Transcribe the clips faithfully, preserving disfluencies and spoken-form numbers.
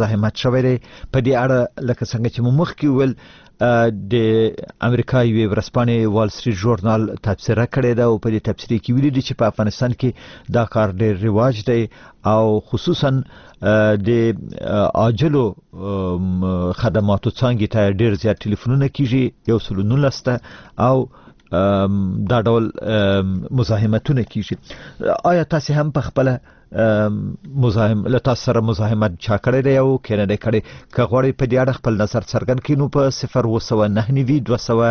مزاحمت شوی دی. په دې اړه لکه څنګه چې مو مخکې وویل د امریکا یوې ورځپاڼې وال سټریټ ژورنال تبصره کړې ده او په دې تبصرې کې ویلي دي چې په افغانستان کې دا کار ډېر رواج دی او خصوصا د عاجلو خدماتو څانګې ته ډېر زیات ټلیفونونه کیږي، یو سل نولس ته، او دا ډول مزاحمتونه کیږي. آیا تاسې هم په خپله مزاحم له تاسو سره مزاحمت چا کړی دی او که نه دی کړی؟ که غواړئ په دې اړه خپل نظر څرګند کړئ نو په صفر اووه سوه نهه نوي دوه سوه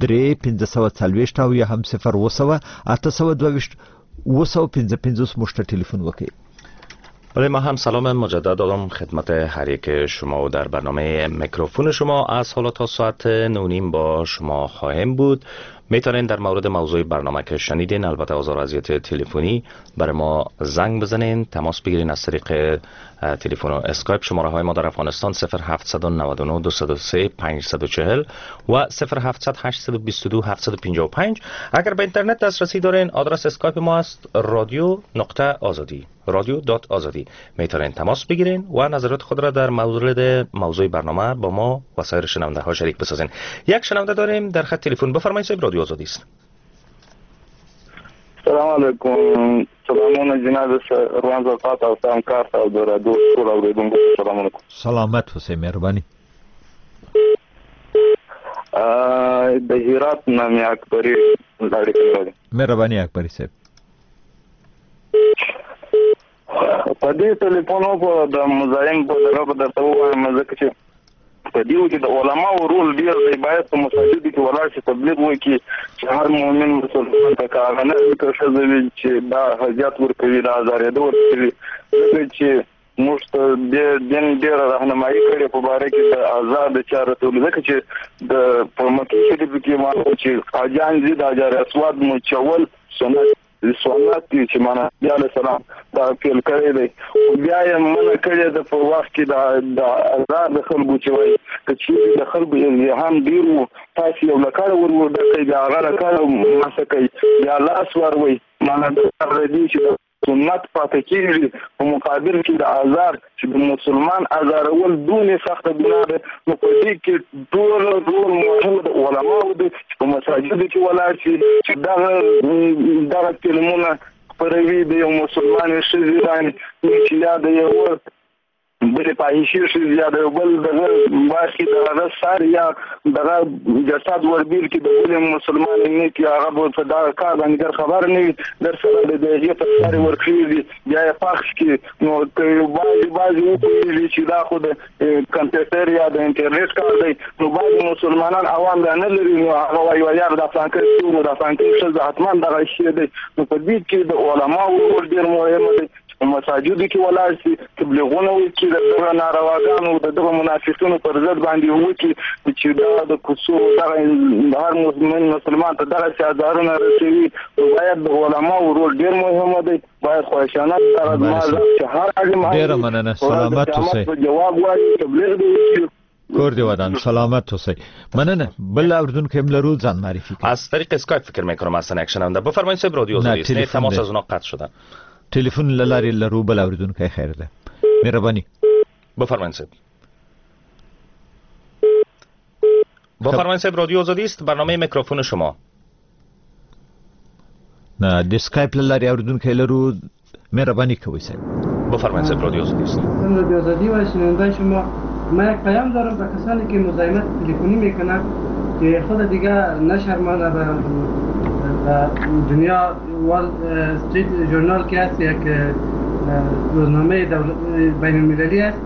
درې پنځه سوه څلوېښت او یا هم صفر اووه سوه اته سوه دوه ویشت اووه سوه پنځه پنځوس موږ ته ټلیفون وکړئ. بله، ما هم سلام مجدد دارم خدمت هر یک شما و در برنامه میکروفون شما از حالا تا ساعت نه و نیم با شما خواهیم بود. میتونین در مورد موضوع برنامه که شنیدین، البته آزار و اذیت تلفنی، برای ما زنگ بزنین، تماس بگیرین از طریق تلفن و اسکایپ. شماره های ما در افغانستان صفر هفت نه نه دو سه پنج چهار و صفر هفت هشت دو دو هفت پنج پنج. اگر به اینترنت دسترسی دارین، آدرس اسکایپ ما است رادیو نقطه آزادی، رادیو dot آزادی. میتونین تماس بگیرین و نظرات خود را در مورد موضوع برنامه با ما و سایر شنونده ها شریک بسازین. یک شنونده داریم در خط تلفن. بفرمایید صاحب، رادیو آزادی است. سلام علیکم. سلامونه جناب روان زرقات او سلام کار او د رادیو ټول اوریدونکو سلام علیکم. سلامت اوسئ، مهرباني. د هرات نه مې اکبري اړیکه لرم. مهرباني اکبري صاحب. په دې ټلیفون په د مزاحم په دغه به درته ووایم، ځکه چې په دې کې د علماو رول ډېر دی. باید په مساجدو کې ولاړ شي، تبلیغ وکړي چې هر مؤمن مسلمان ته که هغه نه وي که ښځه وي چې دا اذیت ورکوي، دا ازارېده ورکوي، ځکه چې موږ ته دې دین ډېره رهنمایي کړې په باره کې د ازار د چا رسولو. ځکه چې د په مکې شریفو کې معلوم چې حاجیان ځي د حجر اسود مچول سنت سنت دي چې معنا نبي علیه السلام دا پیل کړی دی، خو بیا یې منع کړې ده په وخت کې د ازار د خلکو چې وایي که چېرې د خلکو ازدحام ډېر و، تاسې یو لکړه ور وډکئ، بیا هغه لکړه مسه کوي، بیا لاس وروئ. معنا دا دي چې د سنت پاتې کېږي په مقابل کې د ازار، چې د مسلمان ازارول دونې سخته ګناه ده. نو په دې کې ټول رول مهم د علماو دی چې په مساجدو کې ولاړ شي، چې دغه دغه فلمونه خپروي د یو مسلمان ښځې باندې، چې یا د یوه بلې فاحشې ښځې یا د یو بل دغه برخې د هغه سر یا دغه جسد وربېل کړي د بلې مسلمان نه کړي، هغه به په دغه کار باندې ډېر خبر نه وي، در سره د هغې پر سر یې ورکړي بیا یې پخش کړي. نو که بعضې بعضې وپوهېږي چې دا خو د کمپیوټر یا د انټرنېټ کار دی، نو بعضې مسلمانان عوام دا نه لري، نو هغه وایي یار دا فلانکی څوک و، دا فلانکی ښځه حتما دغه شی دی. نو په دې کې د علماو رول ډېر مهم دی چې په مساجدو کې ولاړ شي، تبلیغونه وکړي، د دغه نارواګانو د دغه منافقینو پر ضد باندې وکړي چې دا د کوڅو دغه هر مسلمان مسلمان ته دغسې ازارونه رسوي. نو باید د علماو رول ډېر مهم دی. باید خواهشانه دغه زما چې هر عالم ډېره مننه، سلامت اوسئ، جواب وایي، تبلیغ دې وکړي. کور دی ودان، سلامت اوسئ. مننه. بل اوریدونکی هم لرو، ځان معرفي کړئ. از طریق اسکایپ فکر میکنم اصلا یک شنونده. بفرمایید صاحب، رادیو آزادی است. تماس از اونا قطع شدن. تلفن له لارې لرو بل اوریدونکی. خیر ده، مهرباني. بفرمایید صاحب. بفرمایید صاحب، رادیو آزادی است، برنامه میکروفون شما. نه، د اسکایپ له لارې اوریدونکی لرو، مهرباني کوئ صاحب. بفرمایید صاحب، رادیو آزادی است. رادیو آزادی و شنونده شما، من یک پیام دارم به کسانی که مزاحمت تلفنی میکنند که خود دیگه نشرمانه به دنیا. وال استریت ژورنال که هست یک روزنامه بین المللی است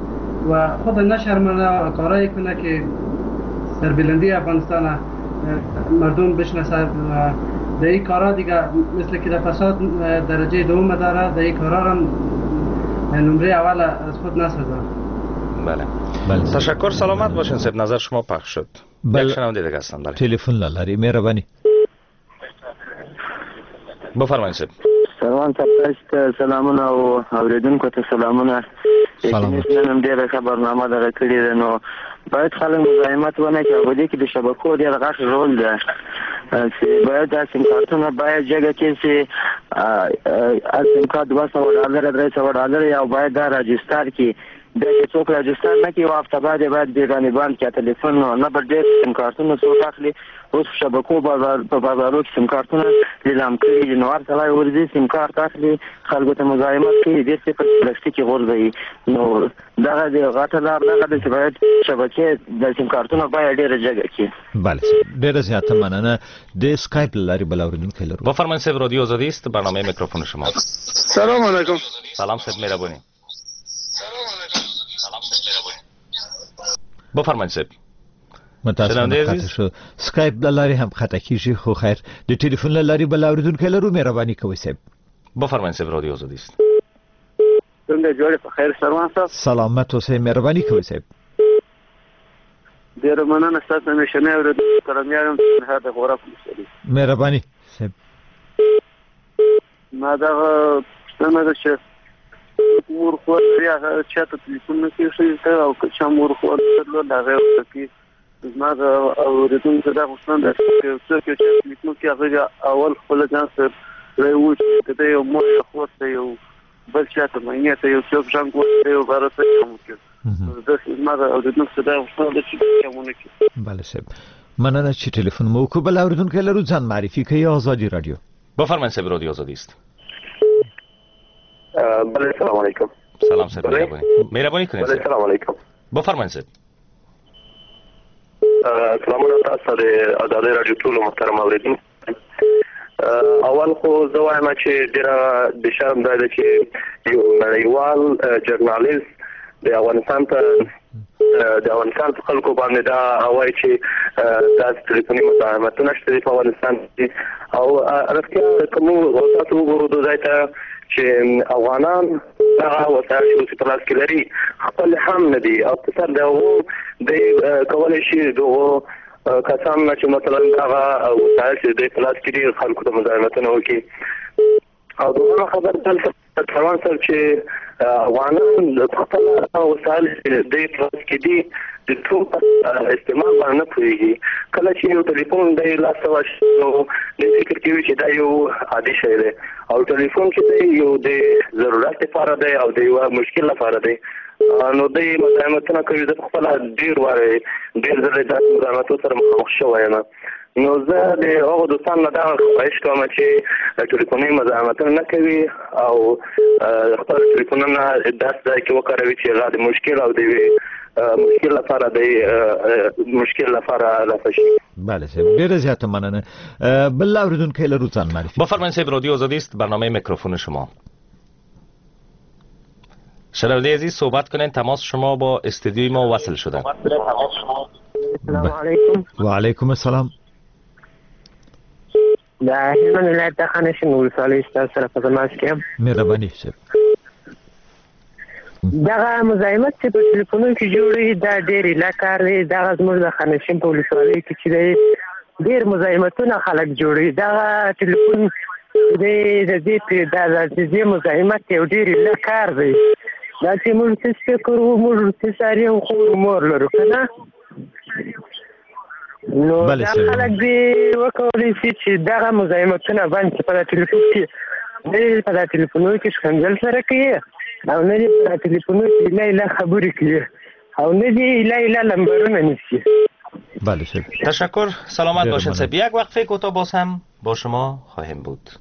و خود نشرمانه و کارایی کنه که سربلندی افغانستان مردم بشناسه. در این کارا دیگه مثل که در فساد درجه دوم داره، در این کارا هم نمره اول از خود نسازه. بله. بله. تشکر، سلامت باشین صاحب، نظر شما پخش شد. بله. یک شنونده دیگه هستم. بله. تلفن لارې، مهرباني. بفرمایید صاحب. سلام صاحب، سلامونه او اوریدونکو ته سلامونه. سلامت. نن هم ډېره ښه برنامه دغه کړې ده، نو باید خلک مزاحمت ونه کړي. په دې کې د شبکو ډېر غټ رول ده چې باید دا سیم کارتونه باید جګه کړي چې هر سیم کارت دوه سوه ډالره درې سوه ډالره یا باید دا راجستر کړي. بیا چې څوک راجستر نه کړي یوه هفته بعد یې باید بې باندې بند کړي تلیفون. نو نه به ډېر سیم کارتونه څوک اخلي. اوس په شبکو بازار په بازارو کې سیم کارتونه لیلام کړي دي، نو هر سړی ورځي سیم کارت اخلي، خلکو ته مزاحمت کوي، بېرته یې په پلاستیک کې غورځوي. نو دغه د غټه لار دغه ده چې باید شبکې د سیم کارتونه باید ډېره جګه کړي. بله ډېره زیاته مننه. د اسکایپ له لارې بل اورېدونکی لرو. بفرمایید صاحب، رادیو آزادی است، برنامه میکروفون شما. سلام علیکم. سلام صاحب، مهربانی. بفرمایید صاحب. متاسفانه قطع شو. سکایپ له لارې هم قطع کېږي، خو خیر د ټلیفون له لارې بل اورېدونکی لرو. مهرباني کوئ صاحب. بفرمایید صاحب، رادیو آزادی است. څنګه جوړ په خیر سروان صاحب؟ سلامت اوسئ، مهرباني کوئ صاحب. ډېره مننه ستاسو همیشنی اورېدونکی کرمیار یم، د غورک ولسوالي. مهرباني صاحب. ما دغه پوښتنه ده چې مور خور لري، هغه چا ته تلیفون نه کوي ښځې ته، او که چا مور خور درلود هغه یې ورته کوي. زما د اورېدونکو دا غوښتنه ده چې یو څوک یو چا تلیفون کوي، هغه اول خپله ځان سره وایي چې که دی یو مور یا خور ته یو بل چا ته ماینې ته یو څوک زنګ وهي، یو باره څه چم وکړي. زما د اورېدونکو څخه دا غوښتنه ده چې چم ونه کړي. بله صاحب، مننه چې ټلیفون مو وکړو. بل اورېدونکی لرو، ځان معرفي کوي. ازادي رادیو. بفرمایید صاحب، رادیو آزادی است. بله سلام علیکم. سلام صاحب، مهربانی مهربانی کنید. بله سلام علیکم. بفرمایید صاحب. سلامونه تاسو ته د ازادي راډیو ټولو محترم اورېدونکو. اول خو زه وایم چې ډېره د شرم ځای ده چې یو نړیوال ژورنالیست د افغانستان په د افغانستان په خلکو باندې دا وایي چې داسې ټلیفوني مزاحمتونه شته دي په افغانستان کې، او رښتیا که موږ تاسو وګورو د ځای ته چې افغانان دغه وسایل چې اوس په لاس کې لري خپل هم نه دي، او په سر د هغو دی کولی شي دغو کسان نه چې مثلا دغه وسایل چې دوی په لاس کې دي خلکو ته مزاحمتونه وکړي. او دوهمه خبره دلته څروان صاحب چې افغانان خپل وسایل چې دوی په لاس کې دي د ټول استعمال باندې نه پوهېږي. کله چې یو ټلیفون دی لاس ته ورشي نو دی فکر کوي چې دا یو عادي شی دی، او ټلیفون چې دی یو د ضرورت لپاره دی او د یوه مشکل لپاره دی. نو دی مزاحمتونه کوي. زه په خپله ډېر وارې ډېر ځلې داسې مزاحمتو سره مخامخ شوی یم. نو زه د هغو دوستانو نه دغه خواهش کوم چې ټلیفوني مزاحمتونه نه کوي او خپل ټلیفونونه داسې ځای کې وکاروي چې هغه د مشکل او د یوې مشکل لپاره د مشکل لپاره رفع شي. بله صاحب، ډېره زیاته مننه. بل اورېدونکی لرو، ځان معرفي. بفرمایید صاحب، رادیو آزادی است، برنامه میکروفون شما. شنونده عزیز صحبت کنین، تماس شما با استودیوی ما وصل شده. سلام علیکم. و علیکم السلام. د هلمند ولایت د خانشین ولسوالۍ ستاسو سره په تماس کې یم. مهرباني صاحب. دغه مزاحمت چې په ټلیفونونو کې جوړوي دا ډېر ایله کار دی. دغه زموږ د خانشین په ولسوالۍ کې چې دی ډېر مزاحمتونه خلک جوړوي. دغه ټلیفون دی د دې د دې مزاحمت یو ډېر ایله کار دی. دا چې موږ څه فکر وو، موږ څه ساري یو خور مور لرو که نه، نو دا خلک دې وکولی شي چې دغه مزاحمتونه بند کړي. په دا ټلیفون کې نه دې په دا ټلیفونو کې ښکنځل سره کوي، او نه دې په دا ټلیفونو کې ایله ایله خبرې کوي، او نه دې ایله ایله لمبرونه نیسي. بله صاحب، تشکر، سلامت باشین صاحب. یک وقفه کوتاه باز هم با شما خواهیم بود.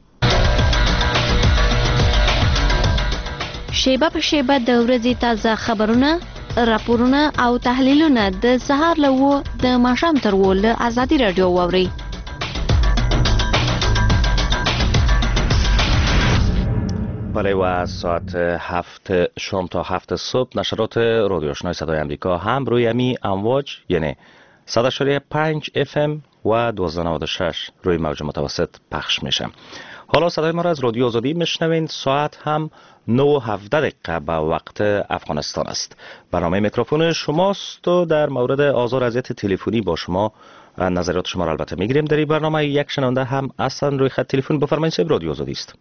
شیبه په شیبه د ورځې تازه خبرونه، راپورونه او تحلیلونه د سهار له اوو د ماښام تر اوو له ازادي راډیو واورئ. بله و ساعت هفت شام تا هفت صبح نشرات رادیو آشنای صدای امریکا هم روی امی امواج یعنی صد و پنج اف ام و دوازده نود و شش روی موج متوسط پخش میشه. حالا صدای ما را از رادیو آزادی میشنوین. ساعت هم نه و هفده دقیقه به وقت افغانستان است. برنامه میکروفون شماست و در مورد آزار اذیت تلفنی با شما نظریات شما را البته میگیریم. در این برنامه یک شنونده هم اصلا روی خط تلفن. بفرمایید صاحب، رادیو آزادی است.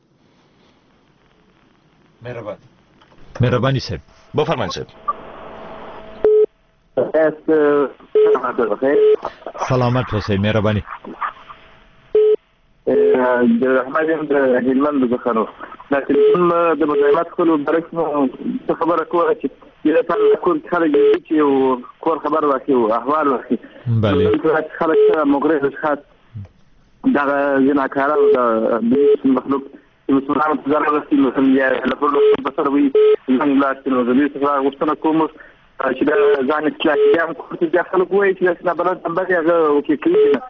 مهربانی مهربانی صاحب، بفرمایید صاحب. سلامت اوسئ، مهرباني. د رحمت یم د هلمند څخه. نو دا ټلیفون د مزاحمت کولو باره کې مو څه خبره کوله چې دې لپاره کور کې خلک چې یو کور خبر واخلي او احوال واخلي. بله. خلک سره مغرض اشخاص دغه زناکاران او د مخلوق چې مسلمانانو ته ضرر رسوي، مثلا یا له بل په سر وي ځان لاړ شي. نو زه دې څخه غوښتنه کوم چې دا ځان اصلاح کړي. هم کور کې بیا خلک وایي چې داسې نابلد نمبر یې هغه اوکې کوي نه.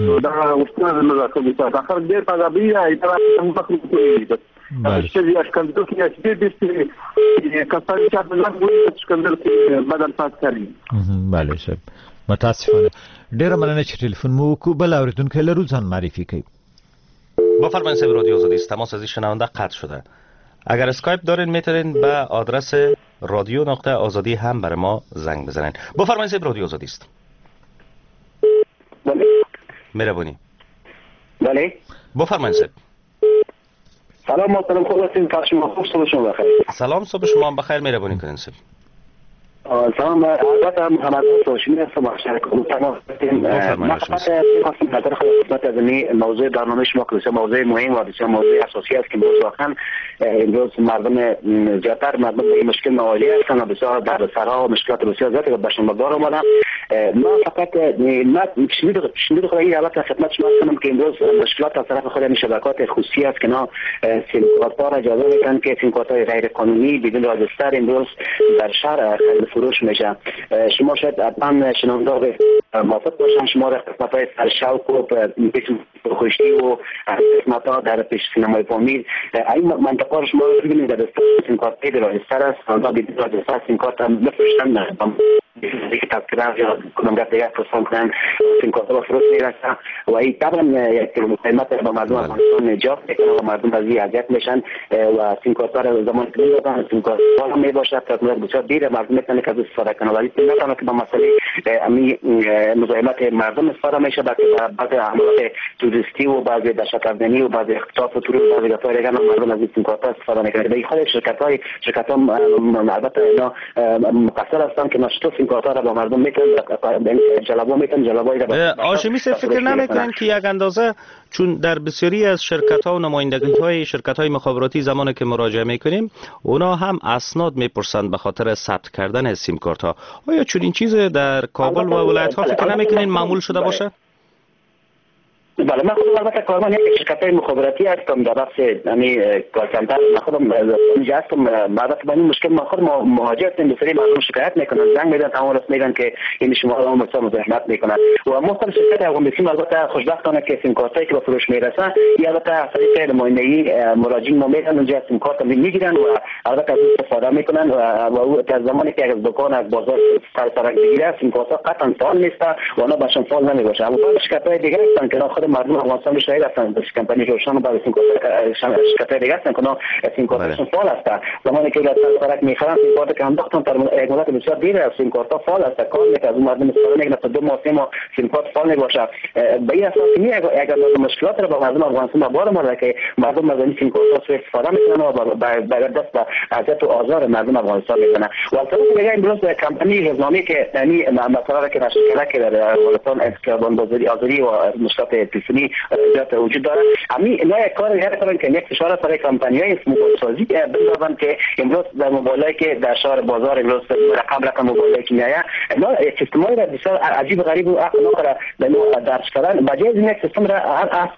نو دا غوښتنه زموږ راکوي. دا خلک ډېر په عذابوي، دا څنګه مخلوق کوي بس. ښځې ښکنځل کوي، چې ډېر ډېر کسان چې په ځان وایي ښکنځل کوي، بد الفاظ کاروي. بله صاحب، متاسفانه. ډېره مننه چې ټلیفون مو وکړو. بل اورېدونکی لرو، ځان معرفي کوي. بفرمایید صاحب رادیو آزادی است. تماس از این شنونده قطع شده. اگر اسکایپ دارین میتونین به آدرس رادیو نقطه آزادی هم برای ما زنگ بزنین. بفرمایید صاحب رادیو آزادی است. بله. مهربانی. بله. بفرمایید صاحب. سلام محترم، خوب هستین؟ شما خوب؟ صبح شما بخیر. سلام، صبح شما هم بخیر. مهربانی کنین صاحب. سلام، البته محمد هاشمی هستم، تماس هستیم. من فقط می‌خواستم نظر خود خدمت از این موضوع برنامه شما که بسیار موضوع مهم و بسیار موضوع اساسی است که امروز واقعا امروز مردم زیادتر مردم به این مشکل مواجه هستند و بسیار دردسرها و مشکلات بسیار زیادی به شما بار آمدن. ما فقط ما شنید خود این البته خدمت شما هستم که امروز مشکلات از طرف خود این شبکات خصوصی است که نا سیم کارت ها را اجازه میدن که سیم کارت های غیر قانونی بدون راجستر امروز در شهر فروش میشه. شما شاید حتما شنونده موافق باشن، شما در قسمت های سرشوق و خوشتی و قسمت ها در پیش سینمای پامیر این منطقه رو شما ببینید در سیم کارت های راجستر است، آنها بدون راجستر سیم کارت هم بفروشن، که تذکره یا کدام گفت دیگر پرسان کنن سیم کارت ها به فروش میرسن و این طبعا یک قیمت با مردم افغانستان ایجاب میکنه و مردم از این اذیت میشن و سیم کارت ها را زمان که میدادن سیم کارت ها هم میباشد تا بسیار دیر مردم میتونه که از استفاده کنه، ولی نه تنها که با مسئله امی مزاحمت مردم استفاده میشه، بلکه بعض عملات توریستی و بعض دهشت افغانی و بعض اختطاف و ترور و بعض گپ‌های دیگر مردم از این سیم کارت ها استفاده میکنه. به خود شرکت های شرکت ها البته اینا مقصر هستند که نشتو سیم کارت ها را با مردم میتن جلبا میتن جلبای را. هاشمی صاحب فکر نمیکنن که یک اندازه چون در بسیاری از شرکت ها و نمایندگی های شرکت های مخابراتی زمانی که مراجعه میکنیم اونا هم اسناد میپرسند به خاطر ثبت کردن سیم کارت ها، آیا چون این چیز در کابل و ولایت ها فکر نمیکنین معمول شده باشه؟ بله، من خودم البته کارمند یک شرکت مخابراتی هستم در بخش یعنی call center. من خودم اینجا هستم. البته با این مشکل ما خود مواجه هستیم، بسیاری مردم شکایت میکنن، زنگ میدن، تمام راست میگن که این شما را مثلا مزاحمت میکنن و ما خود شرکت افغان بیسیم البته خوشبختانه که سیم کارتایی که به فروش میرسن یا البته از طریق نمایندگی مراجعین ما میرن اونجا سیم کارت میگیرن و البته از استفاده میکنن و او از زمانی که از دکان از بازار سر سرک بگیره سیم کارت قطعا فعال نیست و اونا باشن فعال نمیباشه. اما شرکت های دیگه هستن که خود مردم افغانستان شاهد هستند، کمپانی روشن و بعضی شرکت های دیگه هستند که سیم کارتشون فعال است. زمانی که از سرک میخرن سیم کارت که انداختن در یک مدت بسیار دیر است سیم کارت فعال است، کار میکنه، از مردم استفاده میکنه تا دو ماه سه ماه سیم کارت فعال میباشه. به این اساس می اگر مشکلات را با مردم افغانستان بار اومده که مردم از این سیم کارت سوء استفاده میکنن و با دست به اذیت و آزار مردم افغانستان میزنن. و از طرف دیگه امروز کمپانی روزنامه که یعنی مثلا که نشر کرده که در افغانستان خیابان بازاری آزادی و مشکلات تلفنی زیاد وجود داره، همین اینا یک کار دیگر کردن که یک فشار برای کمپانی‌های موبایل سازی بندازن که امروز در موبایلایی که در شهر بازار امروز رقم رقم موبایلایی که میآید اینا یک سیستم‌های را بسیار عجیب غریب و عقل را به نوع درج کردن. بجای از این یک سیستم را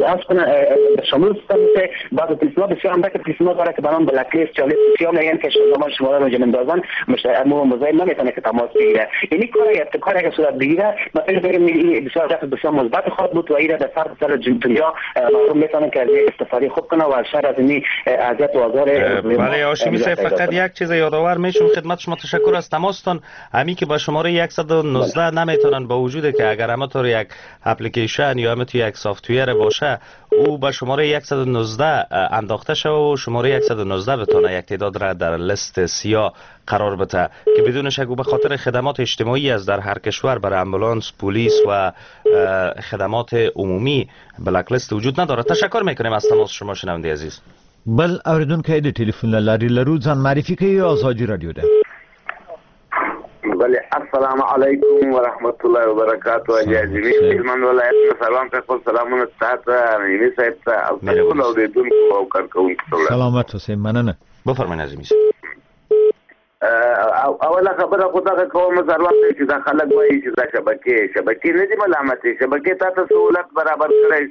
از کنه شامل سیستم که بعض تلفن‌ها بسیار اندک تلفن‌ها داره که به نام black list یا لیست سیاه میگن که زمان شما را اندازن مزاحم نمیتونه که تماس بگیره. یعنی کار ابتکار اگه صورت بگیره مثلا بگیم بسیار دفع بسیار مثبت خواهد بود و این در سر سر دنیا مردم میتونن که از استفاده خوب کنه و از شر از این اذیت و آزار. بله هاشمی صاحب، فقط یک چیز یادآور میشم خدمت شما، تشکر از تماستان. همی که با شماره صد و نوزده نمیتونن، با وجود که اگر همه طور یک اپلیکیشن یا همه طور یک software باشه او با شماره صد و نوزده انداخته شوه و شماره صد و نوزده بتونه یک تعداد را در لیست سیاه قرار بده که بدون شک به خاطر خدمات اجتماعی از در هر کشور برای امبولانس، پلیس و خدمات عمومی black list وجود نداره. تشکر میکنیم از تماس شما شنونده عزیز. بل اوریدونکی د ټلیفون له لارې لرو، ځان معرفي کوي، ازادي رادیو ده. بله، السلام علیکم ورحمت الله وبرکاته. عزیزي هلمند ولایت نه سلام ته خپل سلامونه تاسو ته عظیمي صاحب ته او ټولو اورېدونکو او کارکوونکو ته. سلامت اوسئ، مننه. بفرمایئ عظیمي. اوله خبره خو دغه کوم ضرورت دی چې دا خلک وایي چې دا شبکې شبکې نه دي ملامتې، شبکې تا ته سهولت برابر کړی،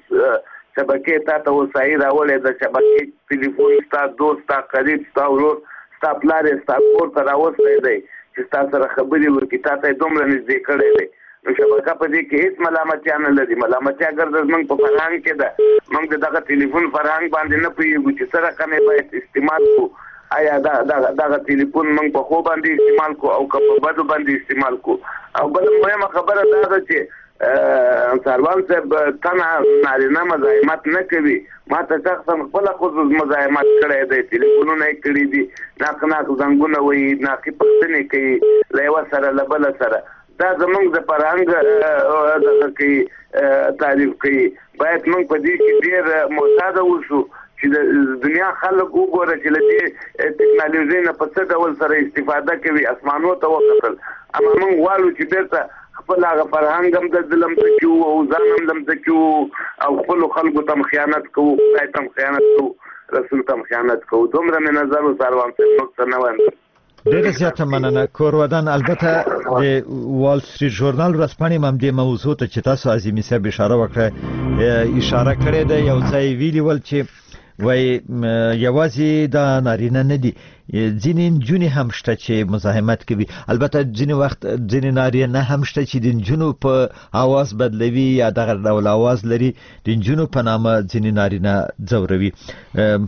شبکې تا ته وسایل راوړی، د شبکې ټلیفون ستا دوست، ستا قریب، ستا ورور، ستا پلار یې ستا کور ته راوستی دی چې ستا سره خبرې وکړي، تا ته یې دومره نږدې کړی دی. نو شبکه په دې کې هېڅ ملامتیا نه لري. ملامتیا ګرځه زموږ په فرهنګ کې ده، موږ د دغه ټلیفون فرهنګ باندې نه پوهېږو چې څه رقم یې باید استعمال کړو. آیا دا دغه ټلیفون موږ په ښو باندې استعمال کړو او که په بدو باندې استعمال کړو؟ او بله مهمه خبره دا ده چې ساروان صاحب تنها نارینه مزاحمت نه کوي، ما ته شخصا خپله خود مزاحمت کړی دی، ټلیفونونه یې کړي دي، ناق ناق زنګونه وهي، ناقي پوښتنې کوي له یوه سره له بله سره. دا زموږ د فرهنګ دغه کوي، تعریف کوي. باید موږ په دې کې ډېر محتاط اوسو چې د دنیا خلک وګوره چې له دې ټکنالوژۍ نه په څه ډول سره استفاده کوي، اسمانو ته وکتل. اما موږ غواړو چې بېرته خپل هغه فرهنګ هم د لمسه کړو او ځان هم لمسه کړو او خپلو خلکو ته هم خیانت کوو، خدای ته هم خیانت کوو، رسول ته هم خیانت کوو. دومره مې نظر و ساروان صاحب، نور څه نه وایم. ډېره زیاته مننه کورودان. البته د وال سټریټ ژورنال ورځپاڼې هم دې موضوع ته چې تاسو عظیمي صاحب اشاره وکړه اشاره کړې ده. یو ځای ویلي ول چې وایي یوازې دا نارینه نه دي، ځینې نجونې هم شته چې مزاحمت کوي. البته ځینې وخت ځینې نارینه هم شته چې د نجونو په اواز بدلوي یا دغه ډول اواز لري، د نجونو په نامه ځینې نارینه ځوروي.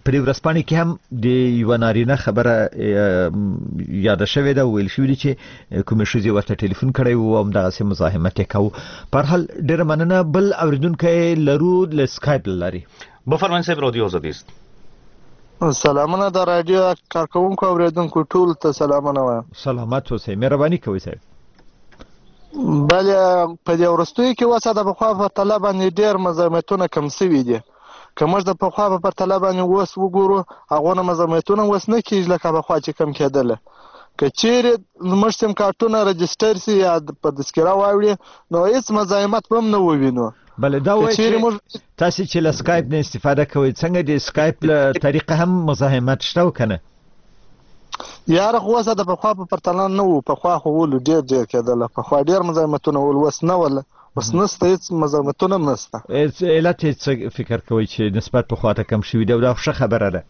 په دې ورځپاڼې کې هم د یوه نارینه خبره یاده شوې ده، ویل شوي دي چې کومې ښځې ورته ټلیفون کړی و او همدغسې مزاحمت یې کاوه. په هر حال ډېره مننه. بل اورېدونکی لرو له سکایپ له لارې. بفرمایئ صاحب، رادیو آزادی است. سلامونه د رادیو کارکوونکو اوریدونکو ټول ته سلامونه وایم. سلامت اوسئ، مهرباني کوئ صاحب. بله په دې وروستیو کې اوس د پخوا په پرتله باندې ډېر مزاحمتونه کم سوي دي. که موږ د پخوا په پرتله باندې اوس وګورو، هغو نه مزاحمتونه اوس نه کېږي لکه پخوا چې کم کېدله. که چیرې زموږ سیم کارتونه رجسټر سي یا په تذکره واوړي، نو هېڅ مزاحمت به هم نه ووینو. بله دا وایي چې تاسې چې له سکایپ نه استفاده کوئ، څنګه د سکایپ له طریقه هم مزاحمت شته او که نه؟ یاره خو اوس د پخوا په پرتله نه وو. پخوا خو ولو ډېر ډېر کېدله، پخوا ډېر مزاحمتونه ول، اوس نه وله، اوس نسته، هېڅ مزاحمتونه هم نسته. علت یې څه فکر کوئ چې نسبت پخوا ته کم شوي دی؟ او دا ښه خبره ده.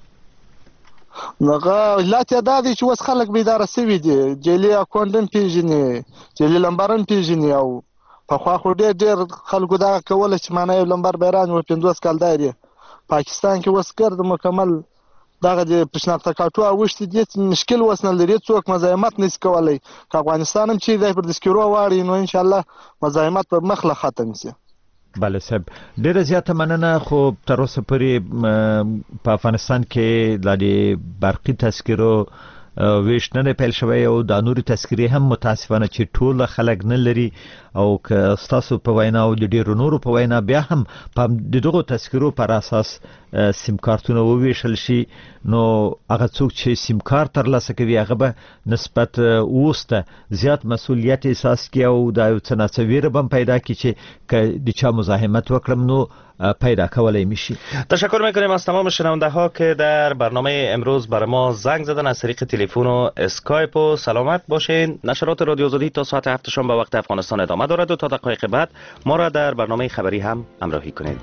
هغه علت یې دا دی چې اوس خلک بیداره سوي دي، جعلي اکونټ هم پېژني، جعلي لمبر هم پېژني. او پخوا خو ډېر ډېر خلکو دغه کوله چې معنی یو لمبر به یې رانیوه پنځوس کال دار یې. پاکستان کې اوس ګرد مکمل دغه د شناخته کارټو اوښتي دي، هېڅ مشکل اوس نه لري، څوک مزاحمت نه شي کولی. که افغانستان هم چیرې دی پر تذکرو واړوي، نو انشاءالله مزاحمت به مخ له ختم شي. بله صاحب، ډېره زیاته مننه. خو تر اوسه پورې په افغانستان کې لا د برقي تذکرو ویش نه دی پیل شوی او دا نورې تذکرې هم متاسفانه چې ټول خلک نه لري، او که ستاسو په وینا او د ډېرو نورو په وینا بیا هم په د دغو تذکرو پر اساس سیم کارتونه وویشل شي، نو هغه څوک چې سیم کارت ترلاسه کوي هغه به نسبت اوس ته زیات مسؤلیت احساس کړي او دا یو څه ناڅه ویره به هم پیدا کړي چې که د چا مزاحمت وکړم نو پیدا کولای میشی. تشکر میکنیم از تمام شنونده ها که در برنامه امروز بر ما زنگ زدن از طریق تلفن و اسکایپ. و سلامت باشین. نشرات رادیو آزادی تا ساعت هفت شام به وقت افغانستان ادامه دارد و تا دقایق بعد ما را در برنامه خبری هم همراهی کنید.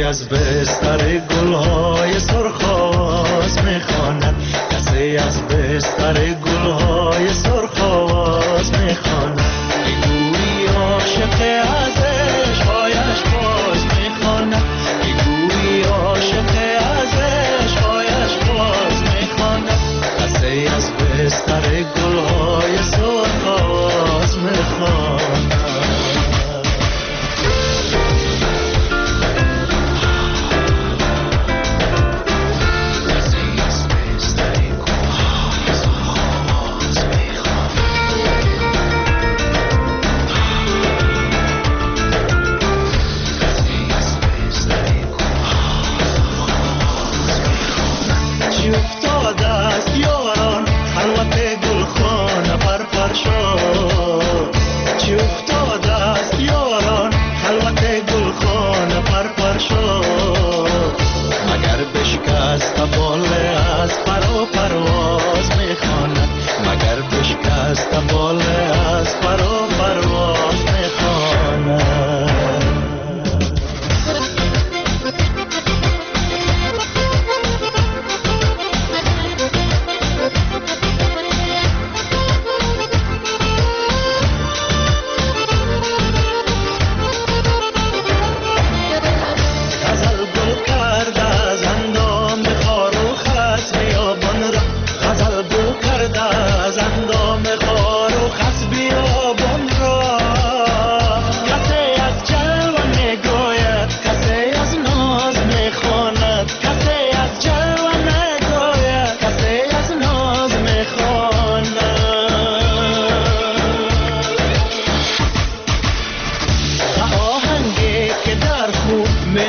از بستر گلهای سرخ آواز میخواند، کسی از بستر گلهای سرخ آواز میخواند، گویی عاشق از عشقهایش باز میخواند، گویی عاشق از عشقهایش باز میخواند، کسی از بستر گلهای سرخ آواز میخواند.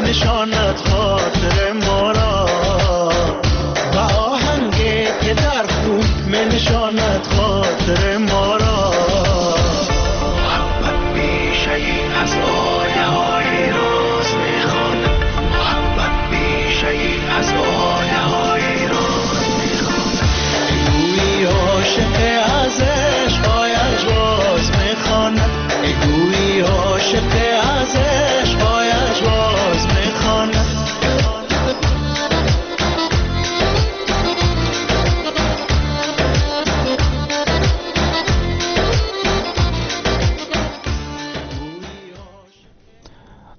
می نشاند خاطر ما را، به آهنگ که در خون می نشاند خاطر ما را. محبت بیشه ای از آیه های راز می خواند، محبت بیشه ای از آیه های راز می خواند. گویی عاشق از عشقایش باز می خواند، گویی عاشق از عشقایش باز می خواند.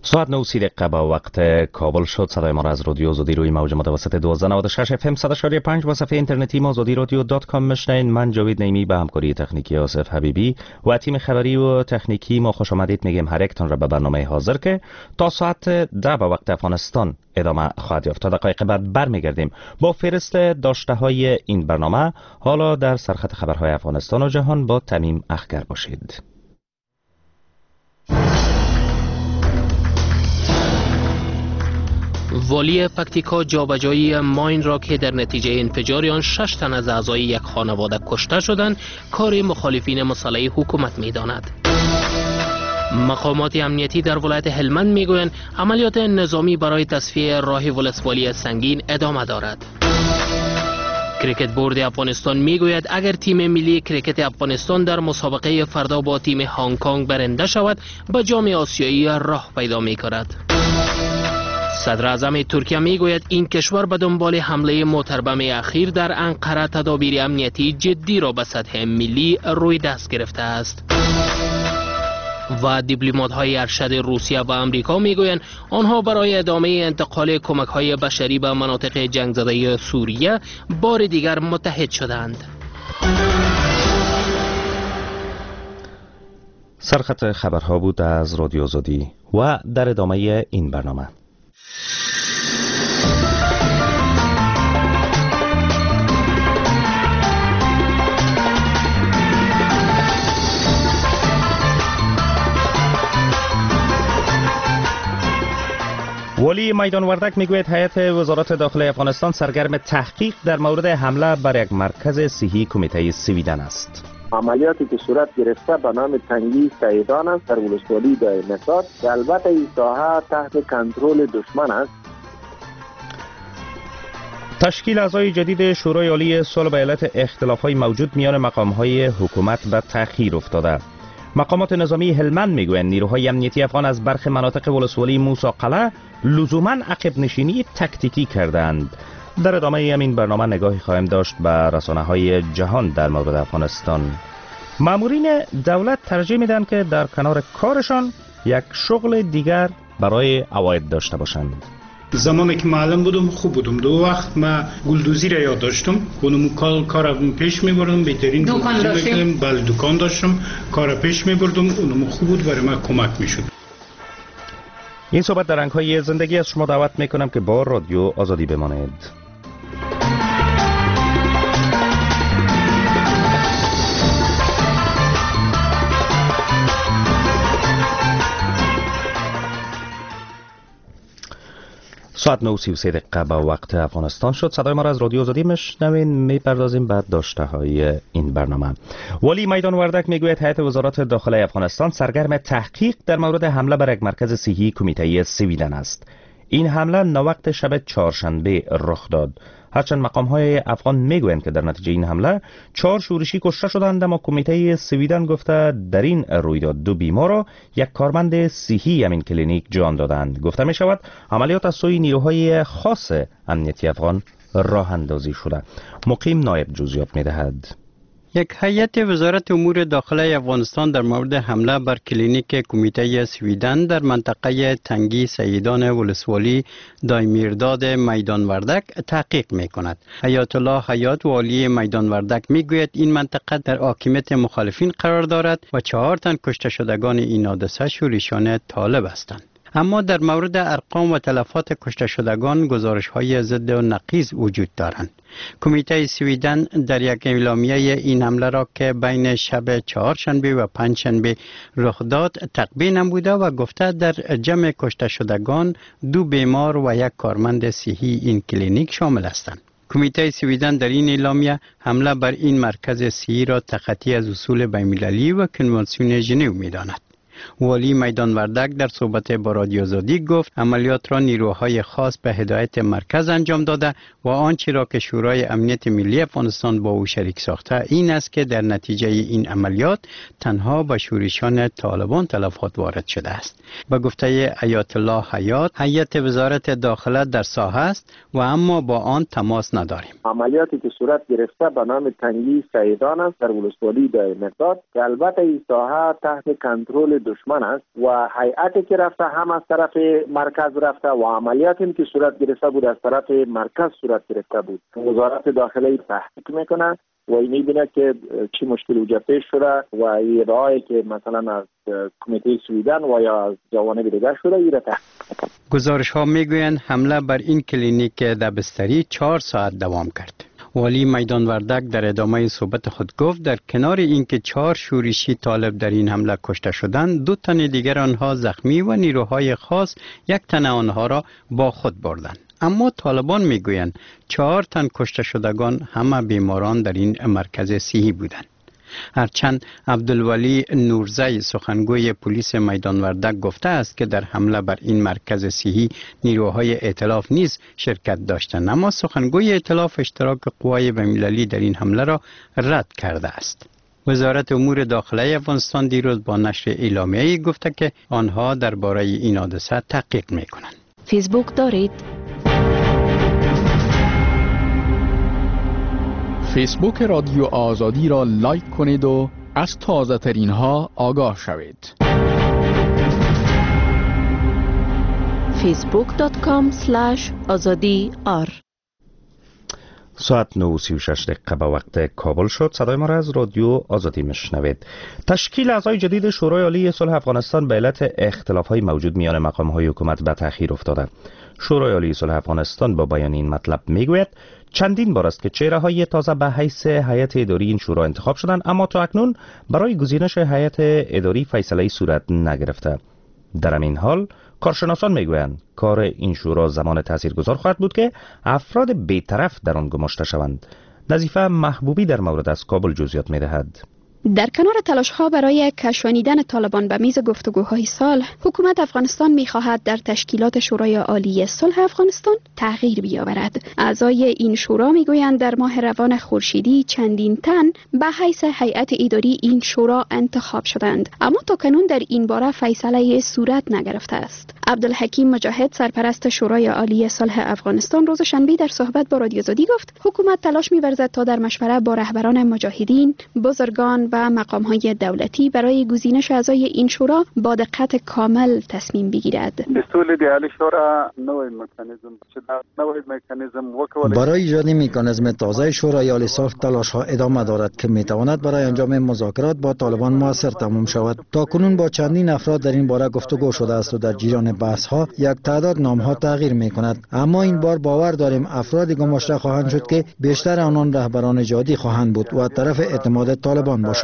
ساعت نه و سی دقیقه با وقت کابل شد. صدای ما را از رادیو آزادی روی موج متوسط دوازده نود و شش اف ام صد و پنج و صفحه اینترنتی ما آزادی رادیو dot com میشنوین. من جاوید نعیمی به همکاری تکنیکی آصف حبیبی و تیم خبری و تکنیکی ما خوش آمدید میگیم هر یکتان را به برنامه حاضر که تا ساعت ده به وقت افغانستان ادامه خواهد یافت. تا دقایق بعد برمیگردیم با فهرست داشته های این برنامه. حالا در سرخط خبرهای افغانستان و جهان با تمیم اخگر باشید. والی پکتیکا جابجایی ماین را که در نتیجه انفجار آن شش تن از اعضای یک خانواده کشته شدند کار مخالفین مسلح حکومت می‌داند. مقامات امنیتی در ولایت هلمند میگویند عملیات نظامی برای تصفیه راه ولسوالی سنگین ادامه دارد. کرکت بورد افغانستان میگوید اگر تیم ملی کرکت افغانستان در مسابقه فردا با تیم هنگ کنگ برنده شود به جام آسیایی راه پیدا می‌کند. صدر اعظم ترکیه میگوید این کشور به دنبال حمله موتربم اخیر در انقره تدابیر امنیتی جدی را به سطح ملی روی دست گرفته است. و دیپلمات‌های ارشد روسیه و آمریکا میگویند آنها برای ادامه انتقال کمک‌های بشری به مناطق جنگ زده سوریه بار دیگر متحد شدند. سرخط خبرها بود از رادیو آزادی و در ادامه این برنامه والی میدان وردک میگوید هیئت وزارت داخله افغانستان سرگرم تحقیق در مورد حمله بر یک مرکز صحی کمیته سویدن است. عملیاتی که صورت گرفته به نام تنگی سیدان است در ولسوالی دایرمسار که البته این ساحه تحت کنترل دشمن است. تشکیل اعضای جدید شورای عالی صلح به علت اختلاف‌های موجود میان مقام‌های حکومت به تأخیر افتاده. مقامات نظامی هلمند میگویند نیروهای امنیتی افغان از برخی مناطق ولسوالی موسی قلعه لزوما عقب نشینی تکتیکی کردند. در ادامه همین برنامه نگاهی خواهیم داشت به رسانه‌های جهان در مورد افغانستان. مامورین دولت ترجیح میدن که در کنار کارشان یک شغل دیگر برای عواید داشته باشند. زمانی که معلم بودم خوب بودم. دو وقت ما گلدوزی را یاد داشتم، اونم کار کار پیش می‌بردم، بهترین دکان داشتم. بله دکان داشتم، کار پیش می‌بردم، اونم خوب بود، برای من کمک می‌شد. این صحبت در رنگ‌های زندگی از شما دعوت می‌کنم که با رادیو آزادی بمانید. ساعت نه و سی و سه دقیقه به وقت افغانستان شد. صدای ما را از رادیو آزادی میشنوین. میپردازیم به داشته های این برنامه. والی میدان وردک میگوید هیئت وزارت داخله افغانستان سرگرم تحقیق در مورد حمله بر یک مرکز صحی کمیته سویدن است. این حمله ناوقت شب چهارشنبه رخ داد. هرچند مقام های افغان میگویند که در نتیجه این حمله چهار شورشی کشته شدند، اما کمیته سویدن گفته در این رویداد دو بیمار را یک کارمند صحی همین کلینیک جان دادند. گفته می شود عملیات از سوی نیروهای خاص امنیتی افغان راه اندازی شده. مقیم نایب جزئیات میدهد. یک هیئت وزارت امور داخله افغانستان در مورد حمله بر کلینیک کمیته سویدن در منطقه تنگی سیدان ولسوالی دایمیرداد میدان وردک تحقیق می کند. حیات الله حیات والی میدان وردک می گوید این منطقه در حاکمیت مخالفین قرار دارد و چهار تن کشته شدگان این حادثه شورشیان طالب هستند. اما در مورد ارقام و تلفات کشته شدگان گزارش های ضد و نقیض وجود دارند. کمیته سویدن در یک اعلامیه این حمله را که بین شب چهارشنبه و پنجشنبه رخ داد تقبیح نموده و گفته در جمع کشته شدگان دو بیمار و یک کارمند صحی این کلینیک شامل هستند. کمیته سویدن در این اعلامیه حمله بر این مرکز صحی را تخطی از اصول بین‌المللی و کنوانسیون ژنو می‌داند. والی میدان وردک در صحبت با رادیو آزادی گفت عملیات را نیروهای خاص به هدایت مرکز انجام داده و آنچه را که شورای امنیت ملی افغانستان با او شریک ساخته این است که در نتیجه این عملیات تنها به شورشیان طالبان تلفات وارد شده است. به گفته حیات الله حیات، هیئت وزارت داخله در ساحه است و اما با آن تماس نداریم. عملیاتی که صورت گرفته به نام تنگی سیدان است در ولسوالی دایمیرداد که البته این ساحه تحت کنترل دشمن است و هیئتی که رفته هم از طرف مرکز رفته و عملیاتی که صورت گرفته بود از طرف مرکز صورت گرفته بود. وزارت داخله تحقیق میکنه و میبینه که چی مشکل وجود پیش شده و ادعایی که مثلا از کمیته سویدن و یا از جوانب دیگر شده ای را تحقیق. گزارش ها میگویند حمله بر این کلینیک دبستری چهار ساعت دوام کرد. والی میدان وردک در ادامه صحبت خود گفت در کنار اینکه چهار شورشی طالب در این حمله کشته شدند، دو تن دیگر آنها زخمی و نیروهای خاص یک تن آنها را با خود بردند. اما طالبان میگویند چهار تن کشته شدگان همه بیماران در این مرکز صحی بودند. هرچند عبدالولی نورزی سخنگوی پلیس میدان وردک گفته است که در حمله بر این مرکز صحی نیروهای ائتلاف نیز شرکت داشتند، اما سخنگوی ائتلاف اشتراک قوای بین‌المللی در این حمله را رد کرده است. وزارت امور داخله افغانستان دیروز با نشر اعلامیه‌ای گفته که آنها درباره این حادثه تحقیق می‌کنند. فیسبوک دارید؟ فیسبوک رادیو آزادی را لایک کنید و از تازه ترین ها آگاه شوید. فیسبوک دات کام اسلش آزادی آر. ساعت نه و سی و شش دقیقه به وقت کابل شد. صدای ما را از رادیو آزادی میشنوید. تشکیل اعضای جدید شورای عالی صلح افغانستان به علت اختلاف‌های موجود میان مقام‌های حکومت به تأخیر افتاده. شورای عالی صلح افغانستان با بیان این مطلب میگوید چندین بار است که چهره‌های تازه به حیث هیئت اداری این شورا انتخاب شدند، اما تا اکنون برای گزینش هیئت اداری فیصله صورت نگرفته. در همین حال کارشناسان میگویند کار این شورا زمان تاثیرگذار خواهد بود که افراد بیطرف در آن گماشته شوند. نظیفه محبوبی در مورد از کابل جزئیات میدهد. در کنار تلاش‌ها برای کشانیدن طالبان به میز گفتگوهای صلح، حکومت افغانستان می‌خواهد در تشکیلات شورای عالی صلح افغانستان تغییر بیاورد. اعضای این شورا می‌گویند در ماه روان خورشیدی چندین تن به حیث هیئت اداری این شورا انتخاب شدند، اما تاکنون در این باره فیصله صورت نگرفته است. عبدالحکیم مجاهد سرپرست شورای عالی صلح افغانستان روز شنبه در صحبت با رادیو آزادی گفت حکومت تلاش می‌ورزد تا در مشوره با رهبران مجاهدین، بزرگان و مقام‌های دولتی برای گزینش اعضای این شورا با دقت کامل تصمیم بگیرد. برای ایجاد مکانیزم تازه شورای عالی صلح تلاش‌ها ادامه دارد که می‌تواند برای انجام مذاکرات با طالبان موثر تمام شود. تاکنون با چندین افراد در این باره گفتگو شده است و در جریان بحث‌ها یک تعداد نام‌ها تغییر می‌کند، اما این بار باور داریم افرادی گماشته خواهند شد که بیشتر آنان رهبران جادی خواهند بود و طرف اعتماد طالبان باشند.